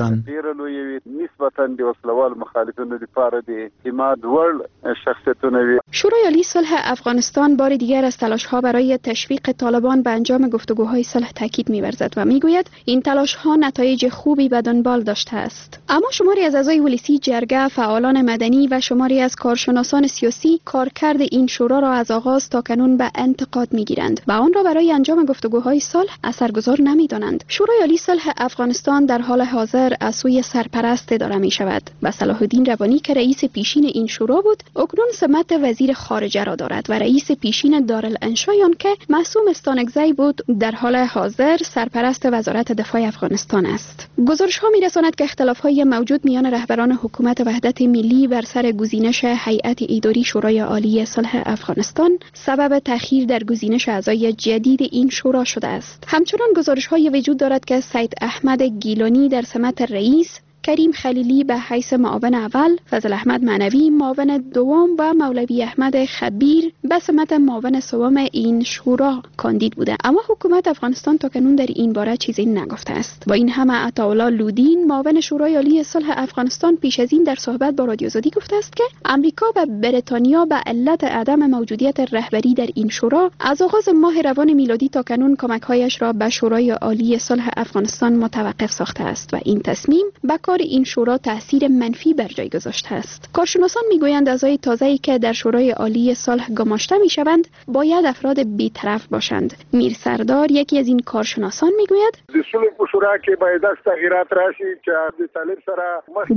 شورای عالی صلح افغانستان بار دیگر از تلاش‌ها برای تشویق طالبان به انجام گفتگوهای صلح تاکید می‌ورزد و می‌گوید این تلاش‌ها نتایج خوبی به دنبال داشته است. اما شماری از اعضای ولسی جرگه، فعالان مدنی و شماری از کارشناسان سیاسی کارکرد این شورا را از آغاز تا کنون به انتقاد می‌گیرند و آن را برای انجام گفتگوهای صلح اثرگذار نمی‌دانند. شورای عالی صلح افغانستان در حال حاضر از سوی سرپرست اداره می شود و صلاح الدین روانی که رئیس پیشین این شورا بود اکنون سمت وزیر خارجه را دارد و رئیس پیشین دارالانشای آن که معصوم استانکزی بود در حال حاضر سرپرست وزارت دفاع افغانستان است. گزارش ها می رساند که اختلاف های موجود میان رهبران حکومت وحدت ملی بر سر گزینش هیئت اداری شورای عالی صلح افغانستان سبب تأخیر در گزینش اعضای جدید این شورا شده است. همچنان گزارش های وجود دارد که سید احمد گیلانی در سمت رئیس، کریم خلیلی به حیث معاون اول، فضل احمد معنوی معاون دوم و مولوی احمد خبیر به سمت معاون سوم این شورا کاندید بوده. اما حکومت افغانستان تاکنون در این باره چیزی نگفته است. با این همه عطاالله لودین معاون شورای عالی صلح افغانستان پیش از این در صحبت با رادیو آزادی گفته است که امریکا و بریتانیا به علت عدم موجودیت رهبری در این شورا از آغاز ماه روان میلادی تاکنون کمک‌هایش را به شورای عالی صلح افغانستان متوقف ساخته است و این تصمیم به کار این شورا تاثیر منفی بر جای گذاشته است. کارشناسان میگویند اعضای تازه‌ای که در شورای عالی صلح گماشته میشوند باید افراد بی‌طرف باشند. میر سردار یکی از این کارشناسان میگوید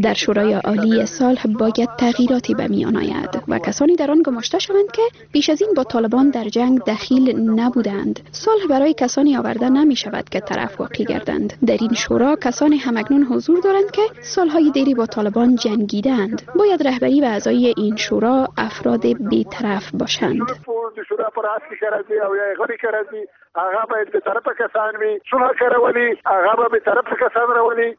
در شورای عالی صلح باید تغییراتی به میان آید و کسانی در آن گماشته شوند که پیش از این با طالبان در جنگ دخیل نبودند. صلح برای کسانی آورده نمی شود که طرف واقع گردند. در این شورا کسانی همکنون حضور دارند که سالهای دیری با طالبان جنگیدند. باید رهبری و اعضای این شورا افراد بی‌طرف باشند.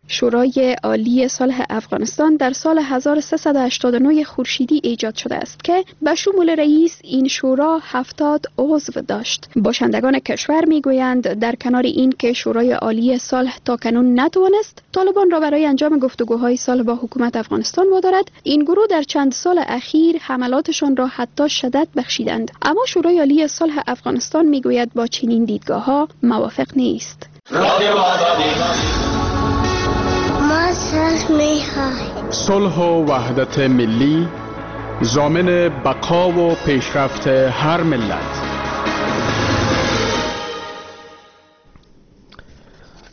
شورای عالی صلح افغانستان در سال هزار و سیصد و هشتاد و نه خورشیدی ایجاد شده است که به شمول رئیس این شورا هفتاد عضو داشت. باشندگان کشور میگویند در کنار این که شورای عالی صلح تاکنون نتوانست طالبان را برای انجام گفتگوهای صلح با حکومت افغانستان وادارد، این گروه در چند سال اخیر حملاتشان را حتی شدت بخشیدند. اما شورای عالی صلح افغانستان میگوید با چنین دیدگاه ها موافق نیست. ما صلح می‌خواهیم. صلح و وحدت ملی ضامن بقا و پیشرفت هر ملت.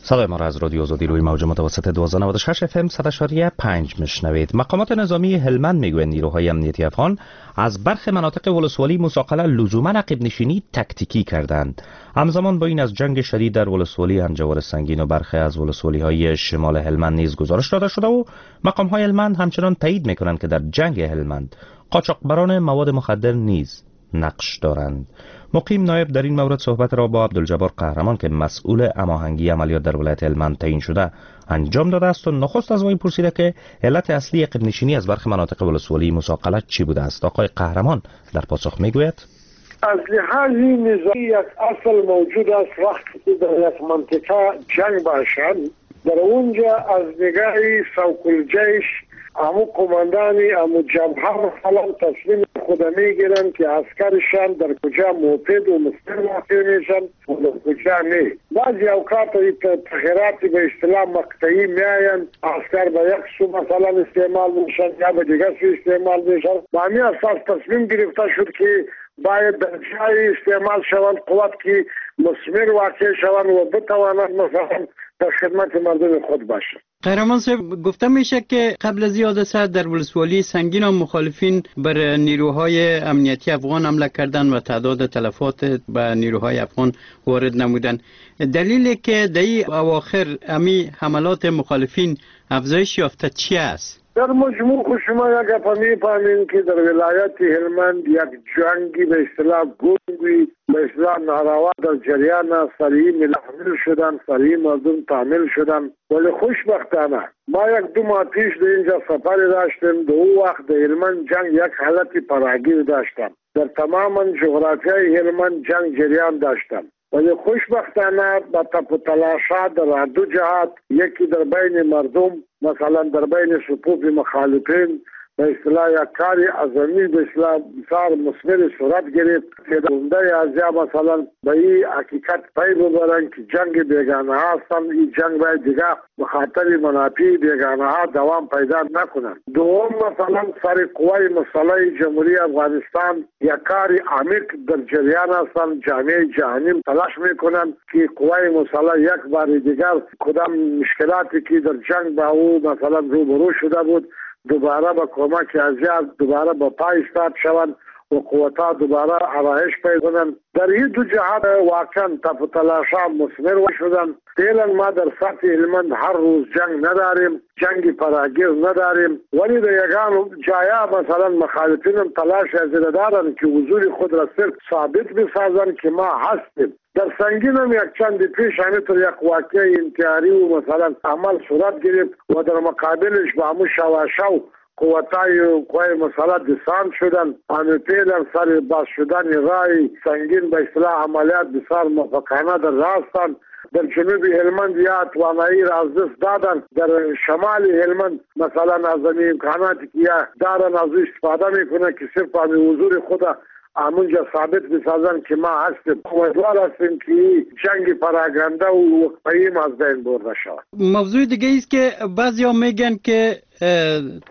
صدای ما را از رادیو آزادی روی موج متوسط دوازده نود و شش اف ام صد و پنج میشنوید. مقامات نظامی هلمند میگویند نیروهای امنیتی افغان از برخی مناطق ولسوالی موسی قلعه لزوما عقب نشینی تکتیکی کردند. همزمان با این از جنگ شدید در ولسوالی همجوار سنگین و برخی از ولسوالی های شمال هلمند نیز گزارش داده شده و مقام های هلمند همچنان تایید میکنند که در جنگ هلمند قاچاقبران مواد مخدر نیز نقش دارند. مقیم نایب در این مورد صحبت را با عبدالجبار قهرمان که مسئول هماهنگی عملیات در ولایت هلمند تعیین شده انجام داده است و نخست از وی پرسیده که علت اصلی عقب نشینی از برخی مناطق ولسوالی موسی قلعه چی بوده است. آقای قهرمان در پاسخ میگوید: از لحاظ نظامی یک اصل موجود است، وقتی که در یک منطقه جنگ باشد در اونجا از نگاه سوق الجیش امو قماندانی امو جبهه مثلا تصمیم خود میگیرن که عسکرشان در کجا مفید و مستر واقع میشن و در کجا نه. بعضی اوقات تغییرات به اصطلاح مقطعی میآیند، عسکر به یک سو مثلا استعمال میشن یا به دیگر سو استعمال میشن. با همین اساس تصمیم گرفته شد که باید در جای استعمال شوند قوت که مثمر واقع شوند و بتوانند مثلا در خدمت مردم خود باشند. قهرمان صاحب، گفته میشه که قبل از حادثه در ولسوالی سنگین و مخالفین بر نیروهای امنیتی افغان حمله کردند و تعداد تلفات به نیروهای افغان وارد نمودند. دلیلی که در این اواخر امی حملات مخالفین افزایش یافته چی است؟ در مجموع خو شما یک گپ میفهمین که در ولایت هلمند یک جنگی به اصطلاح گنگی به اصطلاح ناروا در جریان است. سریع ملحمل شدن، سریع مردم تعمیل شدن، ولی خوشبختانه ما یک دو ماه پیش در اینجا سفر داشتیم. در او وقت در هلمند جنگ یک حالت پراگیر داشتم، در تمام جغرافیای هلمند جنگ جریان داشتم، ولی خوشبختانه با تپ و تلاشات در دو جهات، یکی در بین مردم مثلا در بین صفوف مخالفین به اصطلاح یک کار عظمی به اصطلاح بسیار مثمر صورت گرفت که عمده ازیا مثلا به این حقیقت پی ببرند که جنگ بیگانه ها هستند، این جنگ باید دیگه به خاطر منافع بیگانه ها دوام پیدا نکنند. دوم مثلا سر قوای مسلح جمهوری افغانستان یک کار عمیق در جریان هستند. جامعه جهانی تلاش میکنند که قوای مسلح یک بار دیگر کدام مشکلاتی که در جنگ با او مثلا روبرو شده بود دوباره با کمک ازیا دوباره با پای ایستاد شوند و قوت‌ها دوباره آرایش پیدا کنند. در این دو جهت واقعا تلاش‌ها مثمر شدند. فعلا ما در سطح هلمند هر روز جنگ نداریم، جنگ فراگیر نداریم، ولی در یگان جایا مثلا مخالفین هم تلاش از دارند که حضور خود را صرف ثابت بسازند که ما هستیم. در سنگین هم یک چند پیش همینطور یک واقعه انتحاری و مثلا عمل صورت گرفت و در مقابلش با همون شواشو قوتای قوای مثلا دسان شدن. همه فعلا سر باز شدن رای سنگین به اصطلاح عملیات بسیار موفقانه در راستند. در جنوب هلمند یا توانایی را از دست دادن، در شمال هلمند مثلا از امکاناتی که یا دارن از او استفاده میکنه که صرف همین حضور خود همونجا ثابت بسازن که ما هستیم. امیدوار هستیم که جنگ پراگنده و وقفه‌ای از بین برده شود. موضوع دیگه است که بعضیا میگن که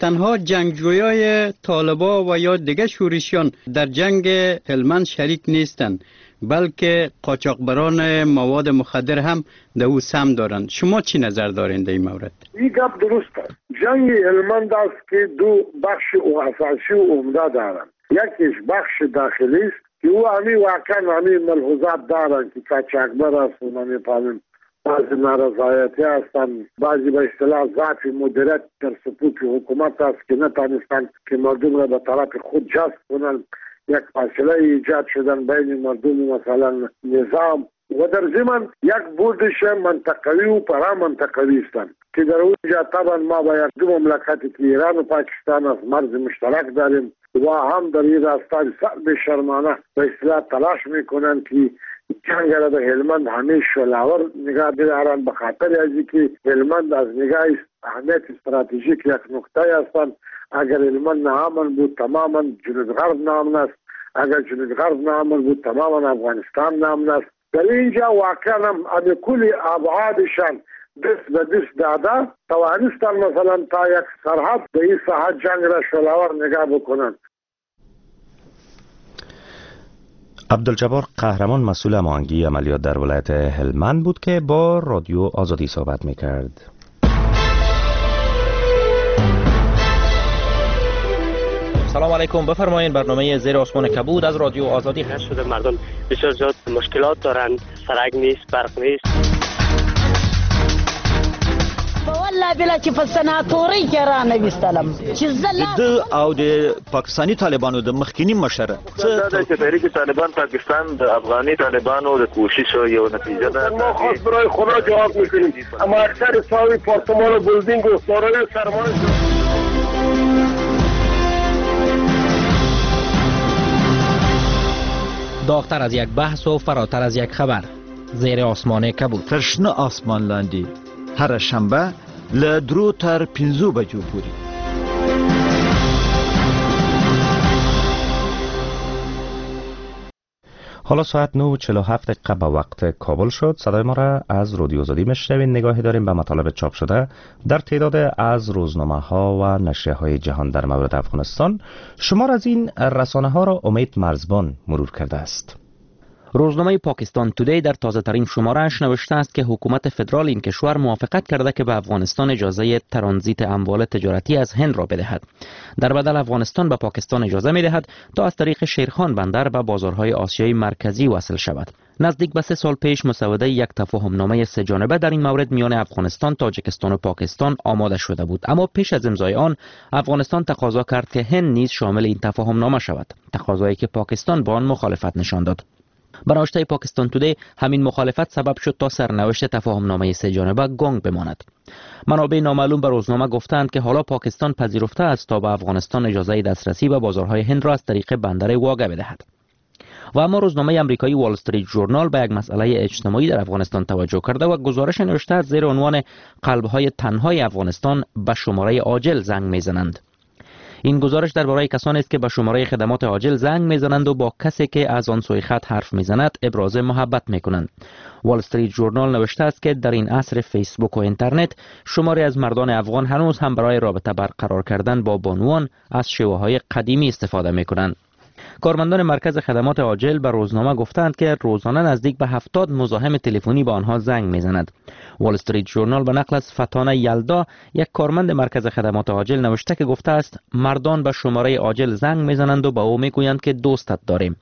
تنها جنگجویای طالبا و یا دیگه شورشیان در جنگ هلمند شریک نیستند، بلکه قاچاقبران مواد مخدر هم در او سهم دارند. شما چی نظر دارین در این مورد؟ این گپ درست است. جنگ هلمند است که دو بخش اساسی و عمده دارند. یکیش بخش داخلی است که او همی واقعا همی ملحوظات دارند که قاچاقبر است و نمیفهمیم بعضی نارضایتی هستند، بعضی به اصطلاح ضعف مدیریت در صفوف حکومت است که نتانستند که مردم را به طرف خود جذب کنند. یک فاصله ایجاد شدن بین مردم مثلا نظام و در ضمن یک بردش منطقوی و پرا منطقوی هستند که در اونجا طبعا ما با یک دو مملکتی که ایران و پاکستان از مرز مشترک داریم و هم در این راستا بسیار بی‌شرمانه به اصطلاح تلاش میکنند که جنگ را در هلمند همیشه شعله‌ور نگاه بدارند، به خاطر از اینکه هلمند از نگاه اهمیت استراتژیک یک نقطه هستند. اگر هلمند ناامن بود تماما جنوب غرب ناامن است، اگر جنوب غرب ناامن بود تماما افغانستان ناامن است. در اینجا واقعا هم کل ابعادشان دست به دست داده توانستند مثلا تا یک سرحد به این ساحت جنگ را شعله‌ور نگاه بکنند. عبدالجبار قهرمان مسئول هماهنگی عملیات در ولایت هلمند بود که با رادیو آزادی صحبت میکرد. سلام علیکم، بفرمایید برنامه زیر آسمان کبود از رادیو آزادی. شده مردم بسیار زیاد مشکلات دارند، سرک نیست، برق نیست. والله بلا چې په سناتوري کې را نه وستلم چې زه د او د پاکستاني طالبانو د مخکینی مشر څه د تحریک طالبان پاکستان د افغاني طالبانو د کوشش یو نتیجه ده. ما خاص برای خدا جواب میکنیم، اما اکثر ساوی پارتمان و بلدینگ و دارای سرمایه. داغتر از یک بحث و فراتر از یک خبر، زیر آسمان کبود. تر شنه آسمان لاندې هره شنبه له درو تر پنځو بجو پورې. حالا ساعت نه و چهل و هفت دقیقه به وقت کابل شد. صدای ما را از رادیو آزادی میشنوید. نگاهی داریم به مطالب چاپ شده در تعداد از روزنامه ها و نشریه های جهان در مورد افغانستان. شمار از این رسانه ها را امید مرزبان مرور کرده است. روزنامه پاکستان تودی در تازه ترین شماره‌اش نوشته است که حکومت فدرال این کشور موافقت کرده که به افغانستان اجازه ترانزیت اموال تجارتی از هند را بدهد. در بدل افغانستان به پاکستان اجازه می‌دهد تا از طریق شیرخان بندر به بازارهای آسیای مرکزی وصل شود. نزدیک به سه سال پیش مسوده یک تفاهمنامه سه جانبه در این مورد میان افغانستان، تاجیکستان و پاکستان آماده شده بود، اما پیش از امضای آن افغانستان تقاضا کرد که هند نیز شامل این تفاهمنامه شود، تقاضایی که پاکستان با آن مخالفت نشان داد. بنوشته پاکستان تودی همین مخالفت سبب شد تا سرنوشت تفاهمنامه سه جانبه گنگ بماند. منابع نامعلوم به روزنامه گفتند که حالا پاکستان پذیرفته است تا به افغانستان اجازه دسترسی به بازارهای هند را از طریق بندر واگه بدهد. و اما روزنامه امریکایی وال استریت ژورنال به یک مسئله اجتماعی در افغانستان توجه کرده و گزارش نوشته است زیر عنوان قلب‌های تنهای افغانستان به شماره عاجل زنگ می‌زنند. این گزارش درباره کسانی است که به شماره خدمات عاجل زنگ میزنند و با کسی که از آن سوی خط حرف میزند ابراز محبت میکنند. وال استریت ژورنال نوشته است که در این عصر فیسبوک و اینترنت شماری از مردان افغان هنوز هم برای رابطه برقرار کردن با بانوان از شیوه های قدیمی استفاده میکنند. کارمندان مرکز خدمات عاجل به روزنامه گفتند که روزانه نزدیک به هفتاد مزاحم تلفنی به آنها زنگ میزند. وال استریت ژورنال به نقل از فتانه یلدا، یک کارمند مرکز خدمات عاجل، نوشته که گفته است مردان به شماره عاجل زنگ میزنند و به او میگویند که دوستت داریم.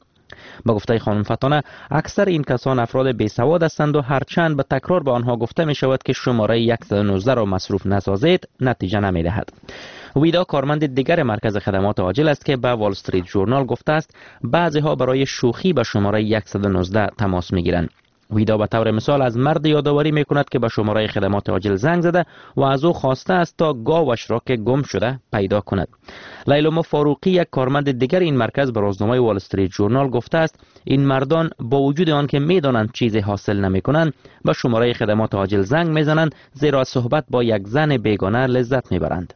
به گفته خانم فتانه، اکثر این کسان افراد بی سواد هستند و هرچند به تکرار به آنها گفته می شود که شماره صد و نوزده را مصروف نسازید، نتیجه نمی دهد. ویدا کارمند دیگر مرکز خدمات عاجل است که به وال استریت ژورنال گفته است بعضی ها برای شوخی به شماره صد و نوزده تماس می گیرند. ویدا به طور مثال از مرد یادآوری می کند که به شماره خدمات عاجل زنگ زده و از او خواسته است تا گاوش را که گم شده پیدا کند. لیلما فاروقی، یک کارمند دیگر این مرکز، به روزنامه وال استریت ژورنال گفته است این مردان با وجود آن که میدانند چیزی حاصل نمی کنند، به شماره خدمات عاجل زنگ میزنند، زیرا از صحبت با یک زن بیگانه لذت میبرند.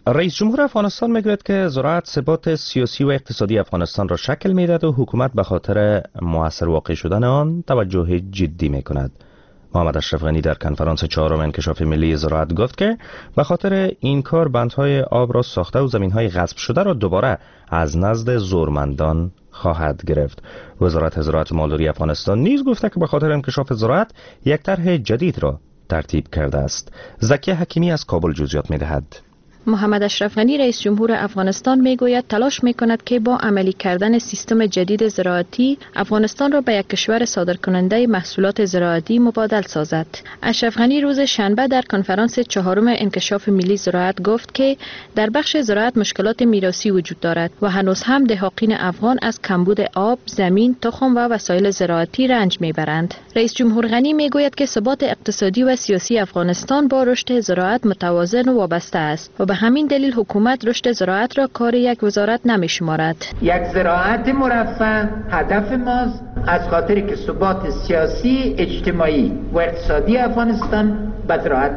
رئیس جمهور افغانستان میگوید که زراعت ثبات سیاسی و اقتصادی افغانستان را شکل میدهد و حکومت به خاطر موثر واقع شدن آن توجه جدی میکند. محمد اشرف غنی در کنفرانس چهارم انکشاف ملی زراعت گفت که به خاطر این کار بندهای آب را ساخته و زمینهای غصب شده را دوباره از نزد زورمندان خواهد گرفت. وزارت زراعت و مالداری افغانستان نیز گفته که به خاطر انکشاف زراعت یک طرح جدید را ترتیب کرده است. زکیه حکیمی از کابل جزئیات میدهد. محمد اشرف غنی، رئیس جمهور افغانستان، میگوید تلاش میکند که با عملی کردن سیستم جدید زراعتی افغانستان را به یک کشور صادرکننده محصولات زراعتی مبادل سازد. اشرف غنی روز شنبه در کنفرانس چهارم انکشاف ملی زراعت گفت که در بخش زراعت مشکلات میراثی وجود دارد و هنوز هم دهاقین افغان از کمبود آب، زمین، تخم و وسایل زراعتی رنج میبرند. رئیس جمهور غنی میگوید که ثبات اقتصادی و سیاسی افغانستان با رشد زراعت متوازن و وابسته است و به همین دلیل حکومت رشد زراعت را کار یک وزارت نمی شمارد. یک زراعت مرفه هدف ماست، از خاطر که ثبات سیاسی، اجتماعی و اقتصادی افغانستان به زراعت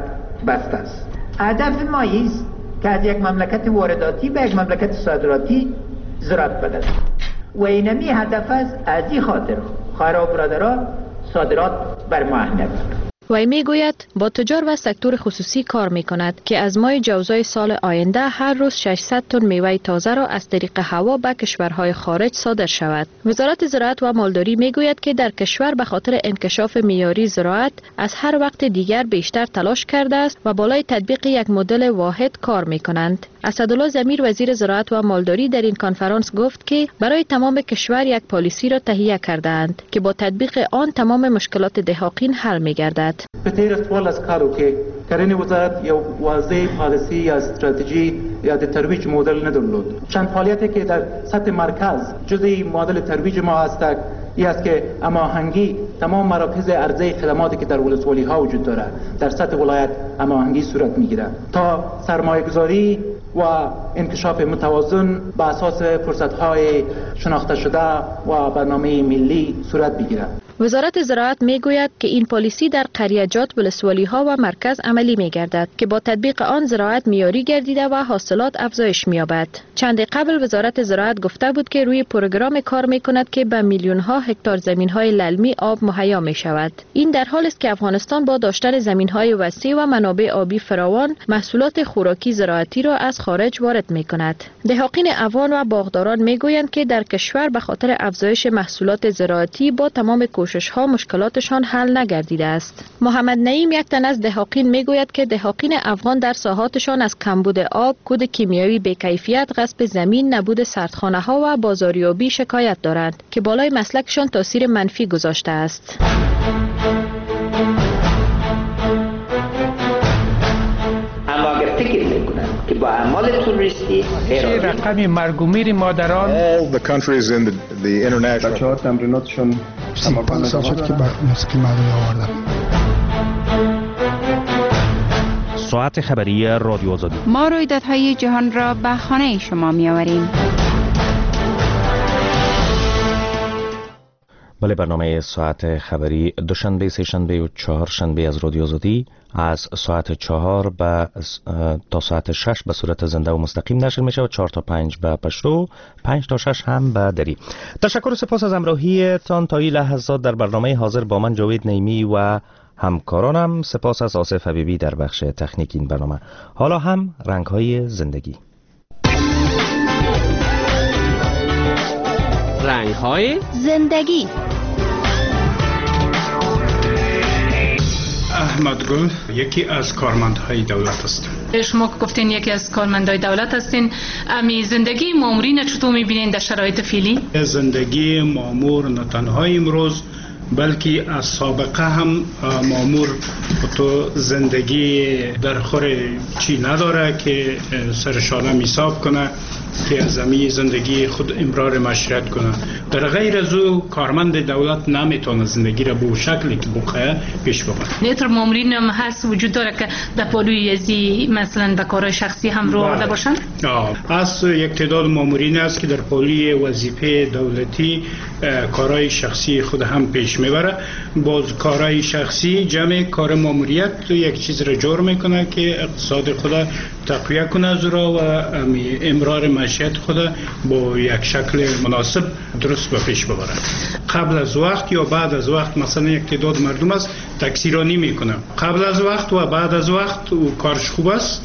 بسته است. هدف ما است که از یک مملکت وارداتی به یک مملکت صادراتی زراعت بدهد و اینمی هدف است. از این خاطر خواهرها و برادرها صادرات بر ما اهمیت دارد. وی میگوید با تجار و سکتور خصوصی کار میکند که از ماه جوزای سال آینده هر روز ششصد تن میوه تازه را از طریق هوا به کشورهای خارج صادر شود. وزارت زراعت و مالداری میگوید که در کشور به خاطر انکشاف معیاری زراعت از هر وقت دیگر بیشتر تلاش کرده است و بالای تطبیق یک مدل واحد کار میکنند. اسدالله ضمیر، وزیر زراعت و مالداری، در این کنفرانس گفت که برای تمام کشور یک پالیسی را تهیه کرده‌اند که با تطبیق آن تمام مشکلات دهاقین حل میگردد. په تیر څوارلس کالو کې کرنې وزارت یو واضح پالیسی یا استراتژی یا د ترویج مدل نه درلود. چند فعالیتی که در سطح مرکز جزئی مدل ترویج ما هست ای است که هماهنگی تمام مراکز عرضه خدماتی که در ولسوالی ها وجود داره در سطح ولایت هماهنگی صورت میگیره تا سرمایه گذاری و انکشاف متوازن به اساس فرصت‌های شناخته شده و برنامه ملی صورت بگیرد. وزارت زراعت میگوید که این پالیسی در قریه‌جات، ولسوالی‌ها و مرکز عملی میگردد که با تطبیق آن زراعت معیاری گردیده و حاصلات افزایش می‌یابد. چند قبل وزارت زراعت گفته بود که روی پروگرام کار میکند که به میلیون‌ها هکتار زمین‌های للمی آب مهیا می‌شود. این در حال است که افغانستان با داشتن زمین‌های وسیع و منابع آبی فراوان محصولات خوراکی زراعتی را از خارج وارد می‌کند. دهاقین افغان و باغداران میگویند که در کشور به خاطر افزایش محصولات زراعتی با تمام کوشش‌ها مشکلاتشان حل نگردیده است. محمد نعیم، یک تن از دهاقین، میگوید که دهاقین افغان در ساحاتشان از کمبود آب، کود کیمیایی بی‌کیفیت، غصب زمین، نبود سردخانه ها و بازاریابی شکایت دارند که بالای مسلکشان تاثیر منفی گذاشته است. اما اگر فکر میکنند که با اعمال توریستی چه رقم مرگ و میر مادران بچه ها تمریناتشون سی پنج سال شد که به موسیقی مردمی آوردم. ساعت خبری رادیو آزادی. ما رویدادهای جهان را به خانه شما می آوریم. بله، برنامه ساعت خبری دوشنبه، سه شنبه و چهار شنبه از رادیو آزادی از ساعت چهار به تا ساعت شش به صورت زنده و مستقیم نشر میشه و چهار تا پنج به پشتو، پنج تا شش هم به دری. تشکر و سپاس از همراهیتان تا این لحظات در برنامه حاضر با من جاوید نیمی و همکارانم. سپاس از آصف حبیبی در بخش تکنیک این برنامه. حالا هم رنگ‌های زندگی. رنگ‌های زندگی. احمد گل یکی از کارمندهای دولت است. شما که گفتین یکی از کارمندهای دولت هستین، امی زندگی مامورین چطور می‌بینین در شرایط فعلی؟ زندگی مامور نه تنها امروز بلکه از سابقه هم مامور تو زندگی در خور چی نداره که سرشانه حساب کنه که از زمین زندگی خود امرار معاشرت کنه. در غیر از او کارمند دولت نمیتونه زندگی را به شکلی که بخواه پیش ببره. نیتر مامورین هم هست وجود داره که در پالوی ازی مثلا به کارهای شخصی هم رو آورده باشن؟ آه. از یک تعداد مامورین است که در پالوی وظیفه دولتی کارهای شخصی خود هم پیش میبره. باز کارهای شخصی جمع کار ماموریت یک چیز را جور میکنه که اقتصاد خود تقویه کنه از را و امرار معیشت خود با یک شکل مناسب درست به پیش ببره. قبل از وقت یا بعد از وقت مثلا یک تعداد مردم است تکثیرانی میکنه، قبل از وقت و بعد از وقت و کارش خوب است.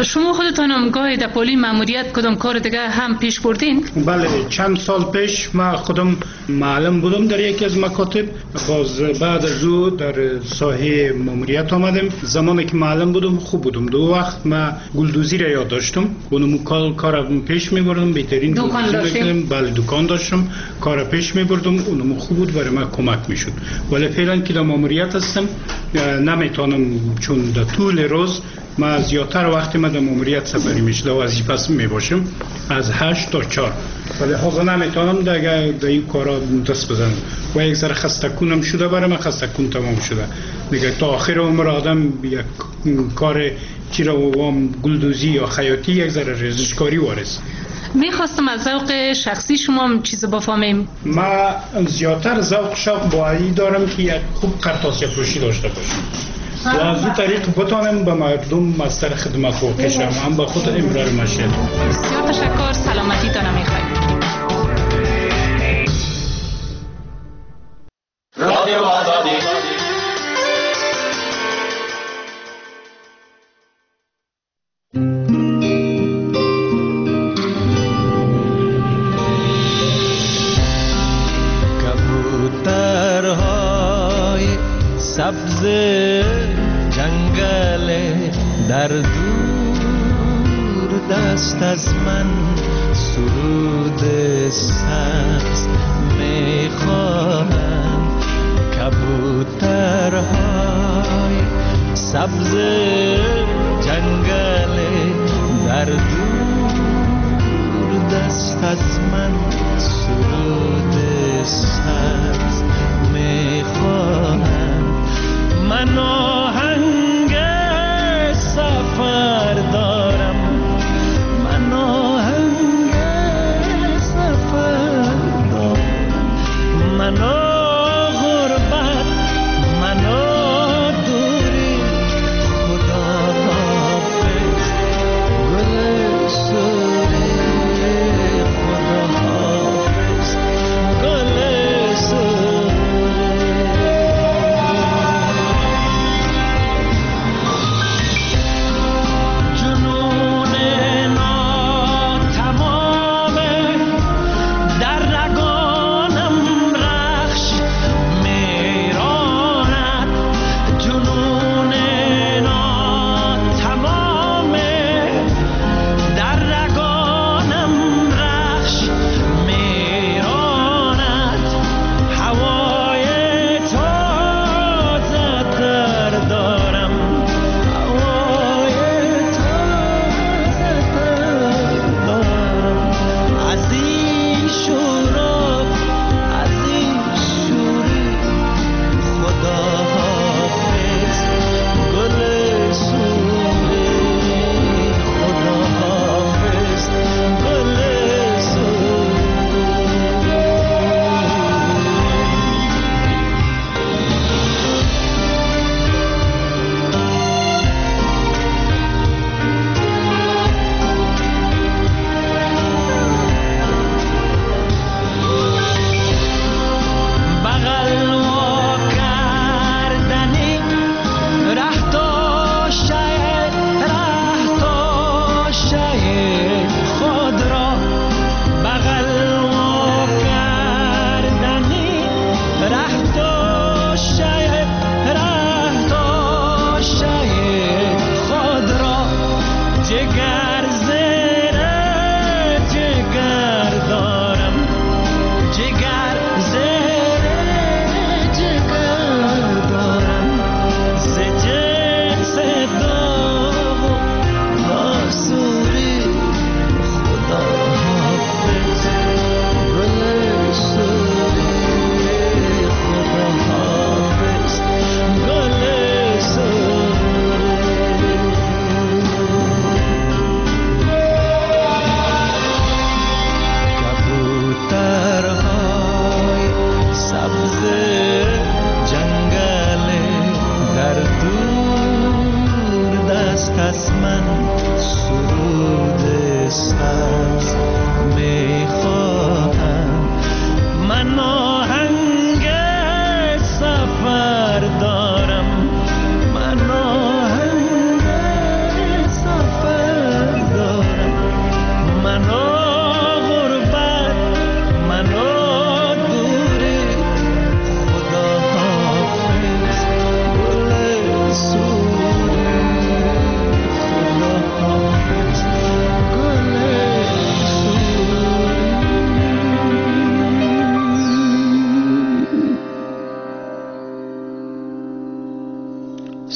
شما خودتان هم گاهی در پالی ماموریت کدام کار دیگه هم پیش بردین؟ بله، چند سال پیش ما خودم معلم بودم در یکی از مکاتب، باز بعد از او در ساحه ماموریت آمدم. زمانی که معلم بودم خوب بودم، دو وقت ما گلدوزی را یاد داشتم، اونم کار کار پیش می‌بردم، بهترین دکان داشتم. بله دکان داشتم، کار پیش می‌بردم، اونم خوب بود، برای من کمک می‌شد. ولی فعلا که در ماموریت هستم نمیتونم، چون در طول روز ما زیادتر وقت ما در ماموریت سپری میشه، در وظیفه میباشم از هشت تا چهار، ولی حالا نمیتونم دیگه در این کارا دست بزنم و یک ذره خستکونم شده، برای من خستکون تمام شده دیگه. تا آخر عمر آدم یک کار چی را وام گلدوزی یا خیاطی یک ذره ریزشکاری وارث. میخواستم از ذوق شخصی شما هم چیز بفهمیم. ما زیادتر ذوق شوق با ای دارم که یک خوب قرطاسیه فروشی داشته باشم و از او طریق بتانم به مردم مستر خدمت واقع شم، هم به خود امرار معیشت. بسیار تشکر، سلامتی تانه میخوایم. رادیو آزادی. کبوترهای سبز جنگل در دور دست از من سرود سبز میخوانند. کبوترهای سبز جنگل در دور دست از من سرود سبز میخوانند. من آهنگ سفر دارم، من آهنگ سفر دارم، من غربت، من دوری، خدا حافظ گل سوری، خدا حافظ گل سوری.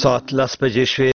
ساعت لس بجې شوې.